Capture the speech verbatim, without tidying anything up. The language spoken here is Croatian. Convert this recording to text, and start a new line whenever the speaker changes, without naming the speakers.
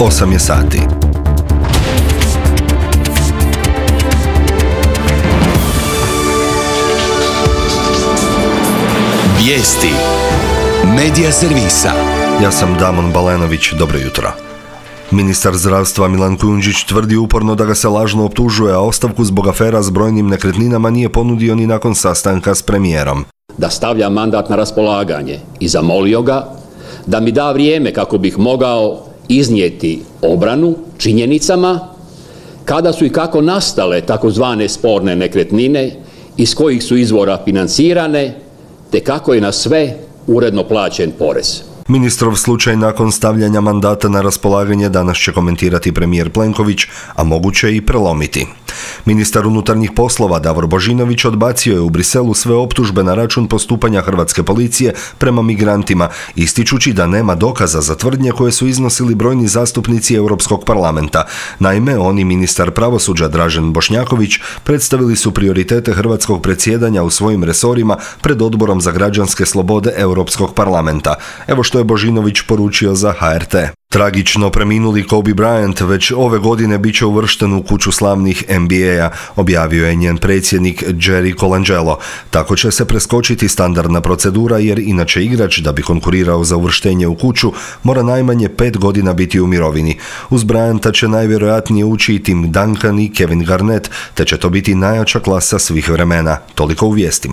osam je sati.
Vijesti Medija servisa.
Ja sam Damon Balenović, dobro jutro. Ministar zdravstva Milan Kujundžić tvrdi uporno da ga se lažno optužuje, a ostavku zbog afera s brojnim nekretninama nije ponudio ni nakon sastanka s premijerom.
Da stavlja mandat na raspolaganje i zamolio ga da mi da vrijeme kako bih mogao iznijeti obranu činjenicama kada su i kako nastale takozvane sporne nekretnine, iz kojih su izvora financirane, te kako je na sve uredno plaćen porez.
Ministrov slučaj nakon stavljanja mandata na raspolaganje danas će komentirati premijer Plenković, a moguće i prelomiti. Ministar unutarnjih poslova Davor Božinović odbacio je u Briselu sve optužbe na račun postupanja hrvatske policije prema migrantima, ističući da nema dokaza za tvrdnje koje su iznosili brojni zastupnici Europskog parlamenta. Naime, on i ministar pravosuđa Dražen Bošnjaković predstavili su prioritete hrvatskog predsjedanja u svojim resorima pred Odborom za građanske slobode Europskog parlamenta. Evo što je Božinović poručio za H R T. Tragično preminuli Kobe Bryant već ove godine bit će uvršten u kuću slavnih N B A-a, objavio je njen predsjednik Jerry Colangelo. Tako će se preskočiti standardna procedura jer inače igrač, da bi konkurirao za uvrštenje u kuću, mora najmanje pet godina biti u mirovini. Uz Bryanta će najvjerojatnije ući i Tim Duncan i Kevin Garnett, te će to biti najjača klasa svih vremena. Toliko u vijestima.